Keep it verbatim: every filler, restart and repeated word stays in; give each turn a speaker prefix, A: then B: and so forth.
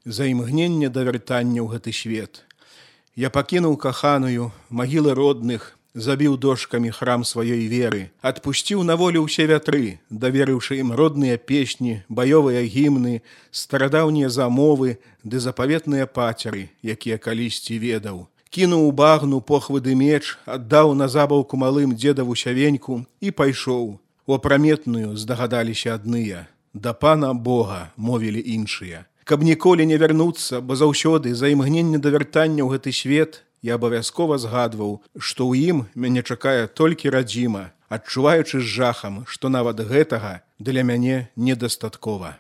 A: за імгненне да вяртання ў гэты свет. Я пакінуў каханую, магілы родных, забіў дошкамі храм сваёй веры, адпусціў на волю ўсе вятры, даверыўшы ім родныя песні, баёвыя гімны, старадаўнія замовы ды запаветныя пацеры, якія калісьці ведаў. Кінуў у багну похвыды меч, аддаў на забаўку малым дзедаву сявеньку і пайшоў. У апраметную здагадаліся адныя. Да пана Бога мовілі іншыя. Каб ніколі не вярнуцца, бо заўсёды за імгненне да вяртання ў гэты свет, я абавязкова згадваў, што ў ім мяне чакае толькі радзіма, адчуваючы з жахам, што нават гэтага для мяне недастаткова.